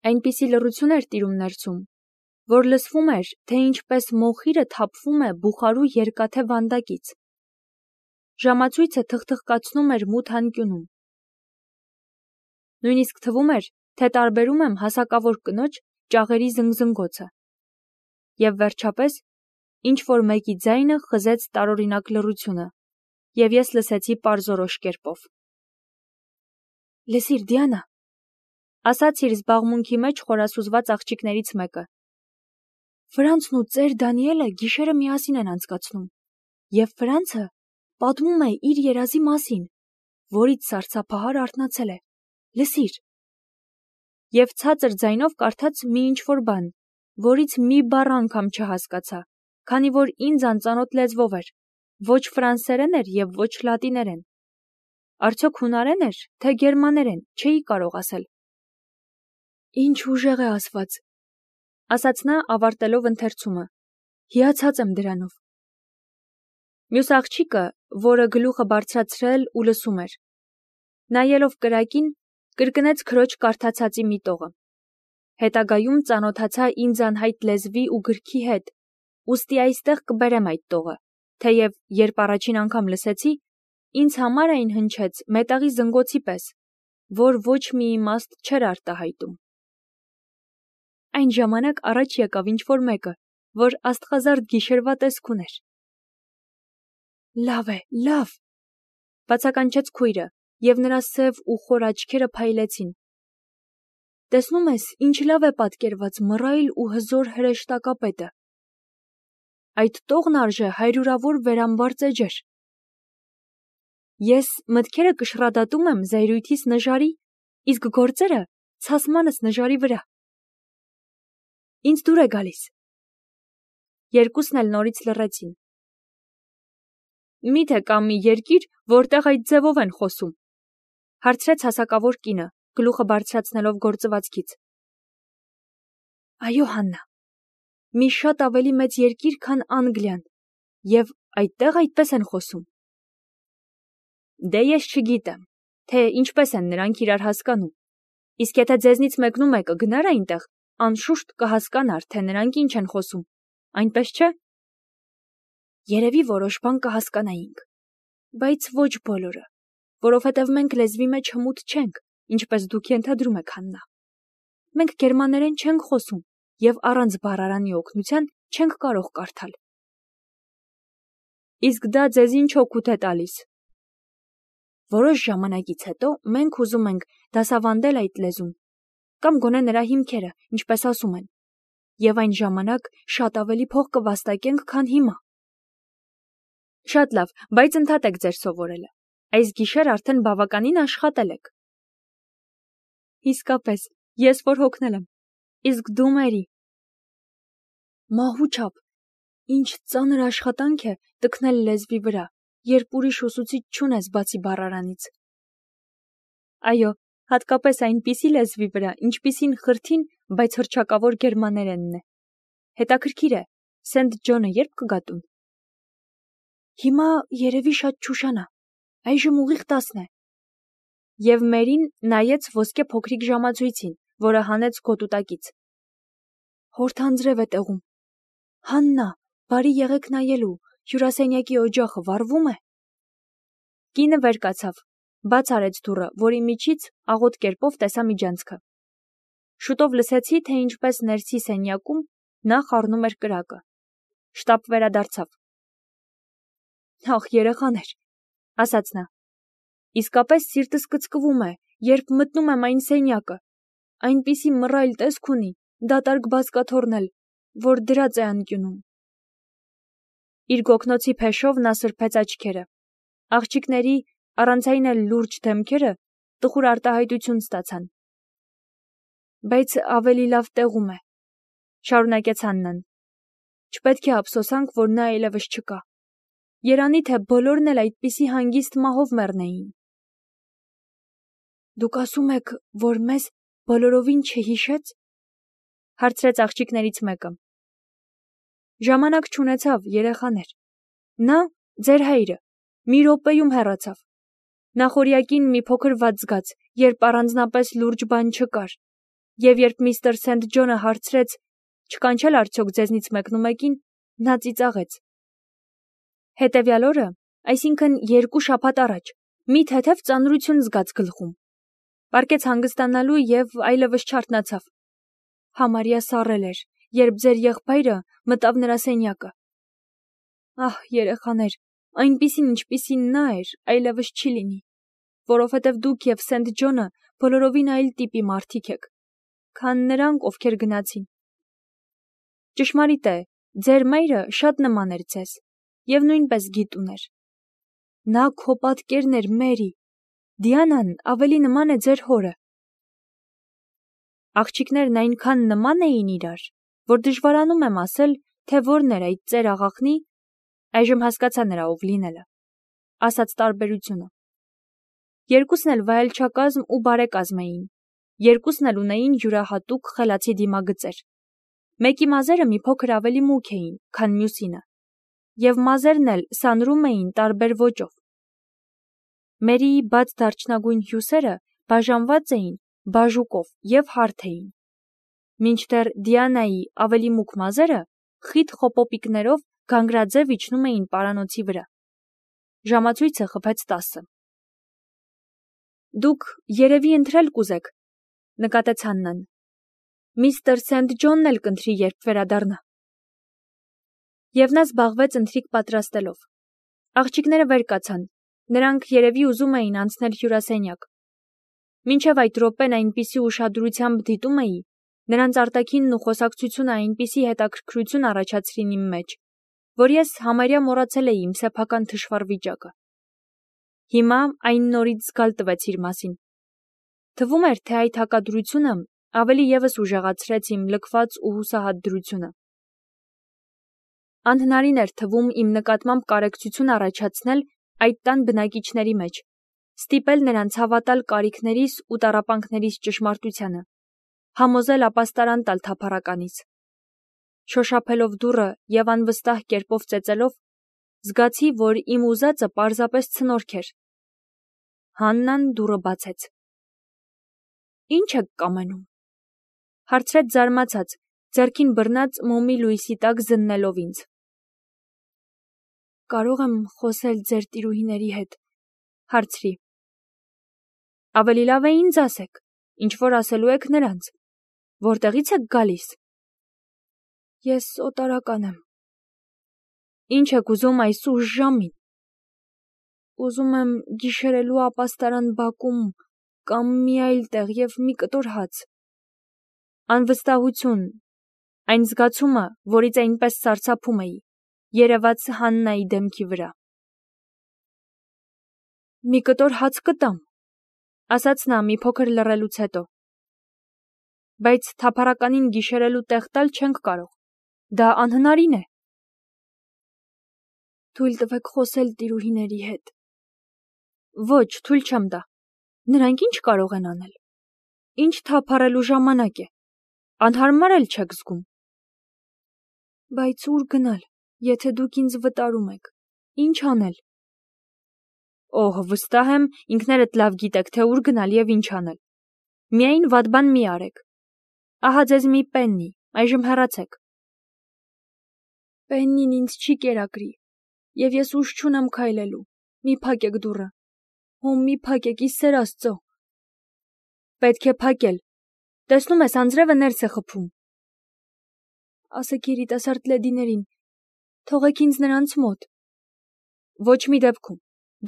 Այնպիսի լռություն էր տիրում ներսում, որ լսվում էր, թե ինչպես մոխիրը թափվում է բուխարու երկաթե վանդակից։ Ժամացույցը թխթխկացնում էր մութ անկյունում։ Նույնիսկ թվում էր, թե տարբերում եմ հասակավոր կնոջ ճաղերի զնգզնգոցը։ Եվ վերջապես, ինչ-որ մեկի ձայնը խզեց տարօրինակ լռությունը, և ես լսեցի պարզորոշ կերպով. «Լսիր, Դիանա», ասաց իր զբաղմունքի մեջ խորասուզված աղջիկներից մեկը, «Ֆրանցն ու ծեր Դանիելը գիշերը միասին են անցկացնում, և Ֆրանցը պատմում է իր երազի մասին, որից սարսափահար արթնացել է։ Լսիր»։ Եվ ցածր ձայնով կարդաց մի ինչ-որ բան, որից մի բառ անգամ չհասկացա, քանի որ ինձ անծանոթ լեզվով էր, ոչ ֆրանսերեն էր և ոչ լատիներեն։ Արդյոք հունարեն էր, թե գերմաներեն, չէի կարող ասել։ «Ինչ ուժեղ է ասված», ասաց նա, ավարտելով ընթերցումը, «հիացած եմ դրանով»։ Մյուս աղջիկը, որը գլուխը բարձրացրել ու լսում էր, նայելով կրակին, կրկնեց քրոջ կարդացածի մի տողը։ Հետագայում ծանոթացա ինձ անհայտ լեզվի ու գրքի հետ, ուստի այստեղ կբերեմ այդ տողը, թեև երբ առաջին անգամ լսեցի, ինձ համար այն հնչեց մետաղի զնգոցի պես, որ ոչ մի իմաստ չէր արտահայտում։ Այն ժամանակ առաջ եկավ ինչ-որ մեկը, որ աստղազարդ գիշերվա տեսք ուներ։ «Լավ է, լավ», բացականչեց քույրը, և նրա սև ու խոր աչքերը փայլեցին։ «Տեսնում ես, ինչ լավ է պատկերված մռայլ ու հզոր հրեշտակապետը։ Այդ տողն արժե հարյուրավոր վերամբարձ էջեր։ Ես մտքերը կշռադատում եմ զայրույթիս նժարի, իսկ գործերը ցասմանս նժարի վրա։ Ինձ դուր է գալիս»։ Երկուսն էլ նորից լռեցին։ «Մի՞թե կա մի երկիր, որտեղ այդ ձևով են խոսում», հարցրեց հասակավոր կինը, գլուխը բարձրացնելով գործվածքից։ «Այո, Հաննա, մի շատ ավելի մեծ երկիր, քան Անգլիան, և այդտեղ այդպես են խոսում»։ Դե ես չգիտեմ, թե ինչպես են նրանք իրար հասկանում, իսկ եթե ձեզնից մեկնու մեկը գնար այնտեղ, անշուշտ կհասկանար, թե նրանք ինչ են խոսում, այնպես չէ։ Երևի որոշ բան կհասկանայինք, բայց ոչ բոլորը, որովհետև մենք լեզվի մեջ հմուտ չենք, ինչպես դուք ենթադրում եք, Հաննա։ Մենք գերմաներեն չենք խոսում և առանց բառարանի օգնության չենք կարող կարդալ։ Իսկ դա ձեզ ինչ օգուտ է տալիս։ Որոշ ժամանակից հետո մենք ուզում ենք դասավանդել այդ լեզուն, կամ գոնե նրա հիմքերը, ինչպես ասում են, և այն ժամանակ շատ ավելի փող կվաստակենք, քան հիմա։ Շատ լավ, բայց ընդհատեք ձեր սովորելը։ Այս գիշեր արդեն բավականին աշխատել եք։ Իսկապես, ես որ հոգնել եմ, իսկ դու, Մերի։ Մահու չափ, ինչ ծանր աշխատանք է տքնել լեզվի վրա, երբ ուրիշ ուսուցիչ չունես բացի բառարանից։ Այո, հատկապես այնպիսի լեզվի վրա, ինչպիսին խրթին, բայց հռչակավոր գերմաներենն է։ Հետաքրքիր է, Սենթ Ջոնը երբ կգա տուն։ Հիմա երևի շատ չուշանա, այժմ ուղիղ 10 է։ Եվ Մերին նայեց ոսկե փոքրիկ ժամացույցին, որը հանեց գոտուտակից։ Հորթ անձրև է տեղում։ Հաննա, բարի եղեք նայելու, հյուրասենյակի օջախը վառվում է։ Կինը վեր կացավ, բաց արեց դուռը, որի միջից աղոտ կերպով տեսա միջանցքը։ Շուտով լսեցի, թե ինչպես ներսի սենյակում նա խառնում էր կրակը։ Շտապ վերադարձավ։ Ախ, երեխաներ, ասաց նա։ Իսկապես սիրտս կծկվում է, երբ մտնում եմ այն սենյակը։ Այնպիսի մռայլ տեսք ունի, դատարկ բազկաթոռն էլ, որ դրած է անկյունում։ Իր գոգնոցի փեշով նա սրբեց աչքերը։ Աղջիկների, առանց այն էլ լուրջ դեմքերը տխուր արտահայտություն ստացան։ Բայց ավելի լավ տեղում է, շարունակեց Հաննան։ Չպետք է ափսոսանք, որ նա այլևս չկա։ Երանի թե բոլորն էլ այդպիսի հանգիստ մահով մեռնեին։ Դուք ասում եք, որ մեզ բոլորովին չհիշեց, հարցրեց աղջիկներից մեկը։ Ժամանակ չունեցավ, երեխաներ։ Նա, ձեր հայրը, մի րոպեում հեռացավ։ Նախօրյակին մի փոքր վատ զգաց, երբ առանձնապես լուրջ բան չկար։ Եվ երբ միստր Սենթ Ջոնը հարցրեց, չկանչել արդյոք ձեզնից մեկնումեկին, նա ծիծաղեց։ Հետևյալ օրը, այսինքն 2 շաբաթ առաջ, մի թեթև ծանրություն զգաց գլխում։ Պառկեց հանգստանալու և այլևս չարթնացավ։ Համարյա սառել էր, երբ ձեր եղբայրը մտավ նրա սենյակը։ Ահ, երեխաներ, այնպիսին ինչպիսին նա էր, այլևս չի լինի, որովհետև դուք և Սենթ Ջոնը բոլորովին այլ տիպի մարդիկ եք, քան նրանք, ովքեր գնացին։ Ճշմարիտ է, ձեր մայրը շատ նման էր ձեզ, և նույնպես գիտ ուներ։ Նա քո պատկերն էր, Մերի, Դիանան ավելի նման է ձեր հորը։ Աղջիկներն այնքան նման էին իրար, որ դժվարանում եմ ասել, թե որն էր այդ ծեր աղախնի, այժմ հասկացա նրա ով լինելը, ասած տարբերությունը։ Երկուսն էլ վայելչակազմ ու բարեկազմ էին, երկուսն էլ ունեին յուրահատուկ խելացի դիմագծեր։ Մեկի մազերը մի փոքր ավելի մուգ էին, քան մյուսինը, և մազերն էլ սանրում էին տարբեր ոճով։ Մերիի բաց դարչնագույն հյուսերը բաժանված էին բաժուկով և հարթ էին, մինչդեռ Դիանայի ավելի մուգ մազերը խիտ խոպոպիկներով գանգրաձև իջնում էին պարանոցի վրա։ Ժամացույցը խփեց 10։ Դուք երևի ընտրել կուզեք, նկատեց Հաննան։ Միստր Սենթ Ջոնն էլ կընտրի, երբ վերադառնա։ Եվ նա զբաղվեց ընթրիք պատրաստելով։ Աղջիկները վեր կացան, նրանք երևի ուզում էին անցնել հյուրասենյակ։ Մինչև այդ րոպեն այնպիսի ուշադրությամբ դիտում էի, նրանց արտաքինն ու խոսակցությունը այնպիսի հետաքրքրություն առաջացրին իմ մեջ, որ ես համարյա մոռացել էի իմ սեփական թշվառ վիճակը։ Հիմա այն նորից զգալ տվեց իր մասին։ Թվում էր, թե այդ հակադրությունը ավելի ևս ուժեղացրեց իմ լքված ու հուսահատ դրությունը։ Անհնարին էր թվում իմ նկատմամբ կարեկցություն առաջացնել այդ տան բնակիչների մեջ, ստիպել նրանց հավատալ կարիքներիս ու տառապանքներիս ճշմարտությանը, համոզել ապաստարան տալ թափառականից։ Շոշափելով դուռը և անվստահ կերպով ծեծելով, զգացի, որ իմ ուզածը պարզապես ցնորք էր։ Հաննան դուռը բացեց։ Ինչ եք կամենում, հարցրեց զարմացած, ձեռքին բռնած մոմի լույսի տակ զննելով ինձ։ Կարող եմ խոսել ձեր տիրուհիների հետ, հարցրի։ Ավելի լավ է ինձ ասեք, ինչ որ ասելու եք նրանց, որտեղից եք գալիս։ Ես օտարական եմ։ Ինչ եք ուզում այս ուշ ժամին։ Ուզում եմ գիշերելու ապաստարան բակում կամ մի այլ տեղ և մի կտոր հաց։ Անվստահություն, այն զգացումը, որից այնպես սարսափում էի, երևաց Հաննայի դեմքի վրա։ Մի կտոր հաց կտամ, ասաց նա մի փոքր լռելուց հետո։ Բայց թափառականին գիշերելու տեղ տալ չենք կարող, դա անհնարին է։ Թույլ տվեք խոսել տիրուհիների հետ։ Ոչ, թույլ չեմ տա։ Նրանք ինչ կարող են անել։ Ինչ թափառելու ժամանակ է։ Անհարմար էլ չեք զգում։ Բայց ուր գնալ, եթե դուք ինձ վտարում եք։ Ինչ անել։ Օհ, վստահ եմ, ինքներդ լավ գիտեք, թե ուր գնալ և ինչ անել։ Միայն վատ բան մի արեք։ Ահա ձեզ մի պեննի, այժմ հեռացեք։ Պեննին ինձ չի կերակրի, և ես ուժ չունեմ քայլելու։ Մի փակեք դուռը։ Հո մի փակեք, ի սեր Աստծո։ Պետք է փակել։ Տեսնում ես, անձրևը ներս է խփում։ Ասեք երիտասարդ լեդիներին, թողեք ինձ նրանց մոտ։ Ոչ մի դեպքում։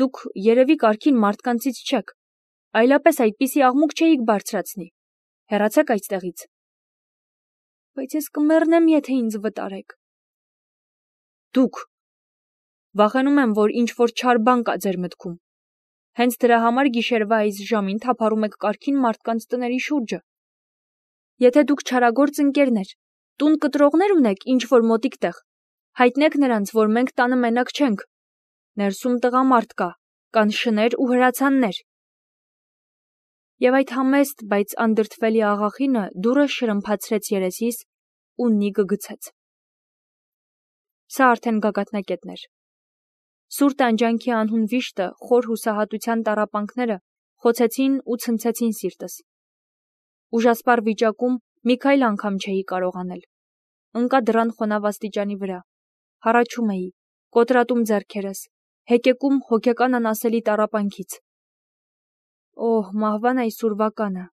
Դուք երևի կարգին մարդկանցից չեք, այլապես այդպիսի աղմուկ չէիք բարձրացնի։ Հեռացեք այստեղից։ Բայց ես կմեռնեմ, եթե ինձ վտարեք։ Դուք։ Վախենում եմ, որ ինչ որ չար բան կա ձեր մտքում։ Հենց դրա համար գիշերվա այս ժամին թափառում եք կարգին մարդկանց տների շուրջը։ Եթե դուք չարագործ ընկերներ, տուն կտրողներ ունեք ինչ որ մոտիկ տեղ, հայտնեք նրանց, որ մենք տանը մենակ չենք։ Ներսում տղամարդ կա, կան շներ ու հրացաններ։ Եվ այդ համեստ, բայց անդրդվելի աղախինը դուռը շրմփացրեց երեսիս ու նիգը գցեց։ Սա արդեն գագաթնակետն էր։ Սուր տանջանքի անհուն վիշտը, խոր հուսահատության տառապանքները խոցեցին ու ցնցեցին սիրտս։ Ուժասպառ վիճակում մի քայլ անգամ չէի կարող անել։ Ընկա դռան խոնավ աստիճանի վրա, հառաչում էի, կոտրատում ձեռքերս, հեկեկում հոգեկան անասելի տառապանքից։ Օհ, մահվան այս ուրվականը,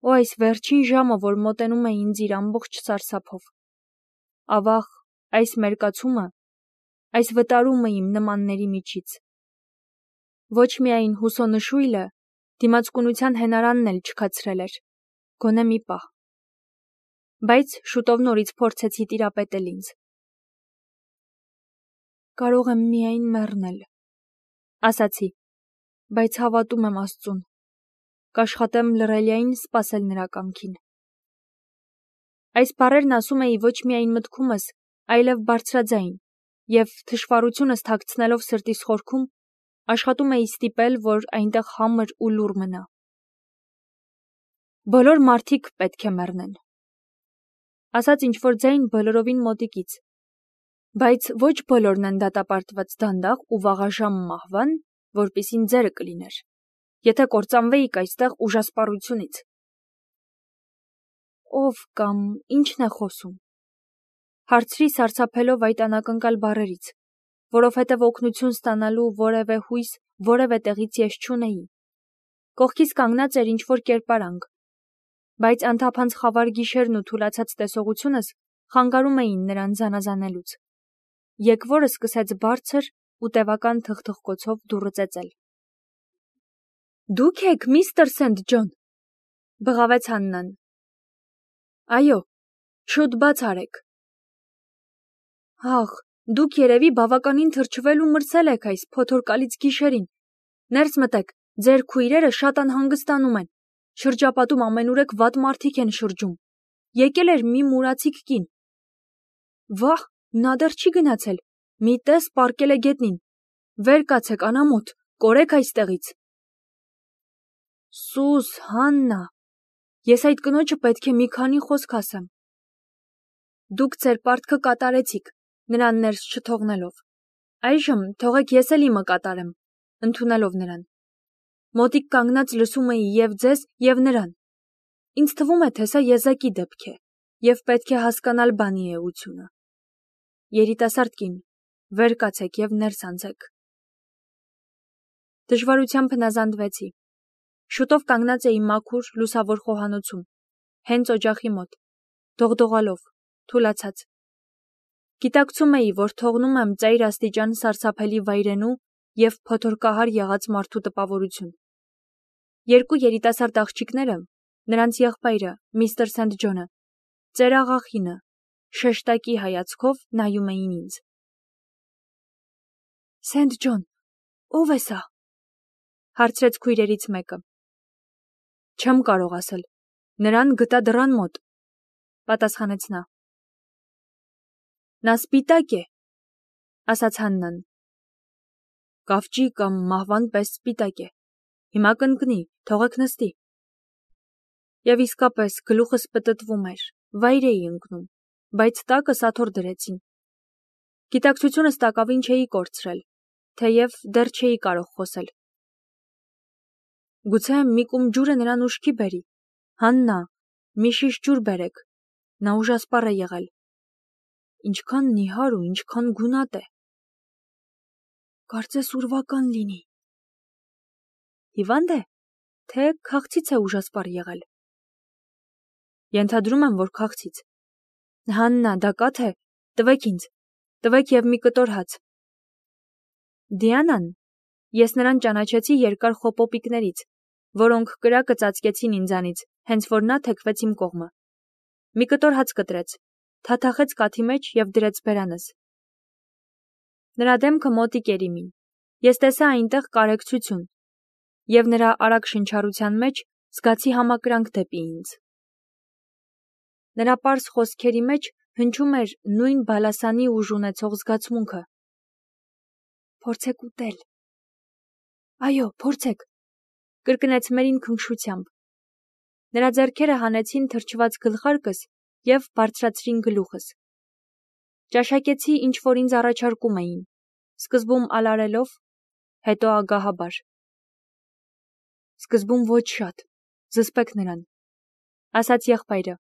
օ այս վերջին ժամը, որ մոտենում է ինձ իր ամբողջ սարսափով։ Ավաղ, այս մերկացումը, այս վտարումը իմ նմանների միջից։ Ոչ միայն հուսոնշույլը, դիմացկունության հենարանն էլ չքացրել էր, գոնե մի պահ։ Բայց շուտով նորից փորձեցի տիրապետել ինձ։ Կարող եմ միայն մեռնել, ասացի, բայց հավատում եմ Աստծուն, կաշխատեմ լռելիային սպասել նրա կամքին։ Այս բառերն ասում էի ոչ միայն մտքումս, այլև բարձրաձայն, և թշվառությունս թաքցնելով սրտիս խորքում, աշխատում էի ստիպել, որ այնտեղ համր ու լուռ մնա։ Բոլոր մարդիկ պետք է մեռնեն, ասաց ինչ-որ ձայն բոլորովին մոտիկից, բայց ոչ բոլորն են դատապարտված դանդաղ ու վաղաժամ մահվան, որպիսին ձերը կլիներ, եթե կործանվեիք այստեղ ուժասպառությունից։ Ով կամ ինչն է խոսում։ Հարցրի սարսափելով այդ անակնկալ բառերից, որովհետև օգնություն ստանալու որևէ հույս որևէ տեղից ես չունեի։ Կողքիս կանգնած էր ինչ-որ կերպարանք, բայց անթափանց խավար գիշերն ու թուլացած տեսողությունս խանգարում էին նրան զանազանելուց։ Եկվորը սկսեց բարձր ու տևական թխթխկոցով դուռը ծեծել։ Դուք եք, միստր Սենթ Ջոն, բղավեց Հաննան։ Այո, շուտ բաց արեք։ Ահ, դուք երևի բավականին թրջվել ու մրսել եք այս փոթորկալից գիշերին։ Ներս մտեք, ձեր քույրերը շատ անհանգստանում են։ Շրջապատում ամենուրեք վատ մարդիկ են շրջում։ Եկել էր մի մուրացիկ կին։ Վահ, նա դեռ չի գնացել։ Մի տես պառկել է գետնին։ Վեր կացեք, անամոթ, կորեք այստեղից։ Սուս, Հաննա, ես այդ կնոջը պետք է մի քանի խոսք ասեմ։ Դուք ձեր պարտքը կատարեցիք, նրան ներս չթողնելով։ Այժմ թողեք ես էլ իմը կատարեմ, ընդունելով նրան։ Մոտիկ կանգնած լսում էի և ձեզ, և նրան։ Ինձ թվում է, թե սա եզակի դեպք է, և պետք է հասկանալ բանի էությունը։ Երիտասարդ կին, վեր կացեք և ներս անցեք։ Դժվարությամբ հնազանդվեցի։ Շուտով կանգնած էի մաքուր, լուսավոր խոհանոցում, հենց օջախի մոտ, դողդողալով, թուլացած։ Գիտակցում էի, որ թողնում եմ ծայր աստիճան սարսափելի վայրենու և փոթորկահար եղած մարդու տպավորություն։ Երկու երիտասարդ աղջիկները, նրանց եղբայրը, միստր Սենթ Ջոնը, ծեր աղախինը, շեշտակի հայացքով նայում էին ինձ։ Սենթ Ջոն, ո՞վ է սա, հարցրեց քույրերից մեկը։ Չեմ կարող ասել, նրան գտա դռան մոտ, պատասխանեց նա։ Նա սպիտակ է, ասաց Հաննան։ Կավճի կամ մահվան պես սպիտակ է։ Հիմա կընկնի, թողեք նստի։ Եվ իսկապես գլուխս պտտվում էր, վայր էի ընկնում, բայց տակը սաթոռ դրեցին։ Գիտակցությունս տակավին չէի կորցրել, թեև դեռ չէի կարող խոսել։ Գուցե մի կում ջուրը նրան ուշքի բերի։ Հաննա, մի շիշ ջուր բերեք, նա ուժասպառ է եղել։ Ինչքան նիհար ու ինչքան գունատ է։ Կարծես ուրվական լինի։ Հիվանդ է, թե քաղցից է ուժասպառ եղել։ Ենթադրում եմ, որ քաղցից։ Հաննա, դա կաթ է, տվեք ինձ, տվեք և մի կտոր հաց։ Դիանան, ես նրան ճանաչեցի երկար խոպոպիկներից, որոնք կրակը ծածկեցին ինձանից, հենց որ նա թեքվեց իմ կողմը։ Մի կտոր հաց կտրեց, թաթախեց կաթի մեջ և դրեց բերանս։ Նրա դեմքը մոտիկ էր իմին։ Ես տեսա այնտեղ կարեկցություն, և նրա արագ շնչառության մեջ զգացի համակրանք դեպի ինձ։ Նրա պարզ խոսքերի մեջ հնչում էր նույն բալասանի ուժ ունեցող զգացմունքը։ Փորձեք ուտել։ Այո, փորձեք, կրկնեց Մերին քնքշությամբ։ Նրա ձեռքերը հանեցին թրջված գլխարկս և բարձրացրին գլուխս։ Ճաշակեցի, ինչ որ ինձ առաջարկում էին, սկզբում ալարելով, հետո ագահաբար։ Սկզբում ոչ շատ, զսպեք նրան, ասաց եղբայրը,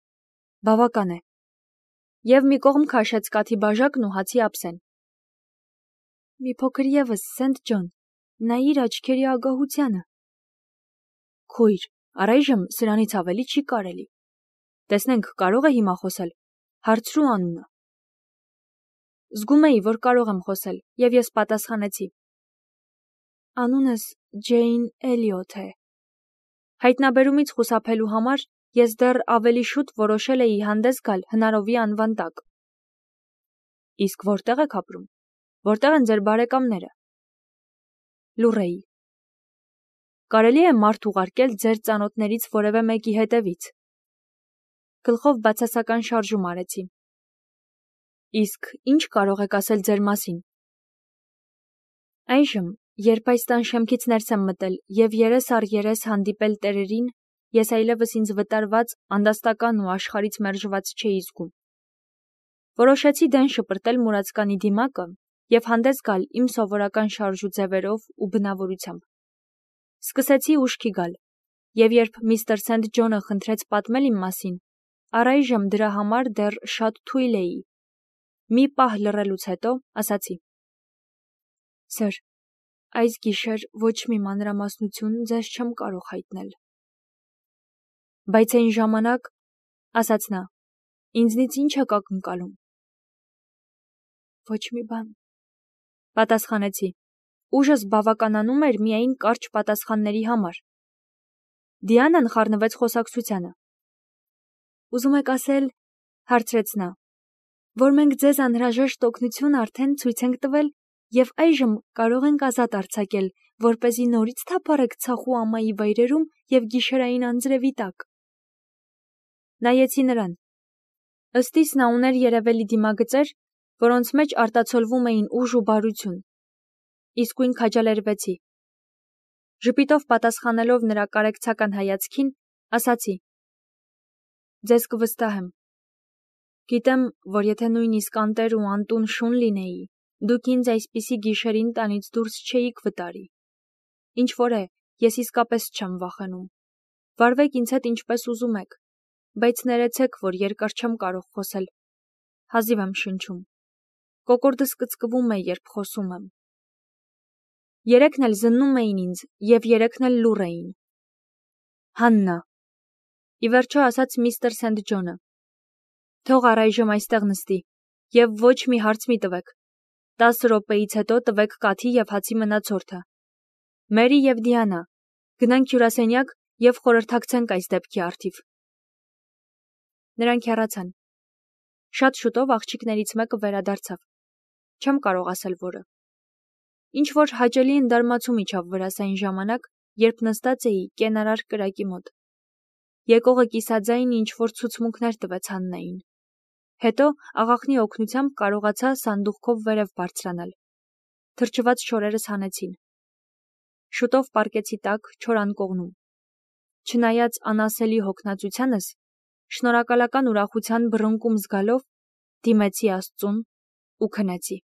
բավական է, և մի կողմ քաշեց կաթի բաժակն ու հացի ափսեն։ Մի փոքր ևս, Սենթ Ջոն, նայիր աչքերի ագահությանը։ Քույր, առայժմ սրանից ավելի չի կարելի։ Տեսնենք, կարող է հիմա խոսել, հարցրու անունը։ Զգում էի, որ կարող եմ խոսել, և ես պատասխանեցի. Անունս Ջեյն Էլիոթ է։ Հայտնաբերումից խուսափելու համար ես դեռ ավելի շուտ որոշել էի հանդես գալ հնարովի անվան տակ։ Իսկ որտեղ եք ապրում։ Որտեղ են ձեր բարեկամները։ Լուրեի։ Կարելի է մարդ ուղարկել ձեր ծանոթներից որևէ մեկի հետևից։ Գլխով բացասական շարժում արեցի։ Իսկ ինչ կարող եք ասել ձեր մասին։ Այժմ, երբ այս տան շեմքից ներս եմ մտել և երես առ երես հանդիպել տերերին, ես այլևս ինձ վտարված, անդաստական ու աշխարհից մերժված չէի զգում։ Որոշեցի դեն շպրտել մուրացկանի դիմակը և հանդես գալ իմ սովորական շարժուձևերով ու բնավորությամբ։ Սկսեցի ուշքի գալ, և երբ միստր Սենթ Ջոնը խնդրեց պատմել իմ մասին, առայժմ դրա համար դեռ շատ թույլ էի։ Մի պահ լռելուց հետո ասացի. Սըր, այս գիշեր ոչ մի մանրամասնություն ձեզ չեմ կարող հայտնել։ Բայց այն ժամանակ, ասաց նա, ինձնից ինչ եք ակնկալում։ Ոչ մի բան, պատասխանեցի։ Ուժս բավականանում էր միայն կարճ պատասխանների համար։ Դիանան խառնվեց խոսակցությանը։ Ուզում եք ասել, հարցրեց նա, որ մենք ձեզ անհրաժեշտ օգնություն արդեն ցույց ենք տվել և այժմ կարող ենք ազատ արձակել, որպեսզի նորից թափառեք ցախու ամայի վայրերում և գիշերային անձրևի տակ։ Նայեցի նրան։ Ըստ իս նա ուներ երևելի դիմագծեր, որոնց մեջ արտացոլվում էին ուժ ու բարություն։ Իսկույն քաջալերվեցի։ Ժպիտով պատասխանելով նրա կարեկցական հայացքին, ասացի. Ձեզ կվստահեմ։ Գիտեմ, որ եթե նույնիսկ անտեր ու անտուն շուն լինեի, դուք ինձ այսպիսի գիշերին տանից դուրս չէիք վտարի։ Ինչ որ է, ես իսկապես չեմ վախենում։ Վարվեք ինձ հետ ինչպես ուզում եք, բայց ներեցեք, որ երկար չեմ կարող խոսել։ Հազիվ եմ շնչում։ Կոկորդս կծկվում է, երբ խոսում եմ։ Երեքն էլ զննում էին ինձ, և երեքն էլ լուռ էին։ Հաննա, ի վերջո ասաց միստր Սենթ Ջոնը, թող առայժմ այստեղ նստի, և ոչ մի հարց մի տվեք։ 10 րոպեից հետո տվեք կաթի և հացի մնացորդը։ Մերի և Դիանա, գնանք հյուրասենյակ և խորհրդակցենք այս դեպքի առթիվ։ Նրանք հեռացան։ Շատ շուտով աղջիկներից մեկը վերադարձավ։ Չեմ կարող ասել որը։ Ինչ որ հաճելի ընդարմացում իջավ վրաս այն ժամանակ, երբ նստած էի կենարար կրակի մոտ։ Եկողը կիսաձայն ինչ որ ցուցմունքներ տվեց Հաննային։ Հետո աղախնի օգնությամբ կարողացա սանդուղքով վերև բարձրանալ։ Թրջված շորերս հանեցին։ Շուտով պառկեցի տաք չոր անկողնում։ Չնայած անասելի հոգնածությանս, շնորհակալական ուրախության բռնկում զգալով, դիմեցի Աստծուն ու քնեցի։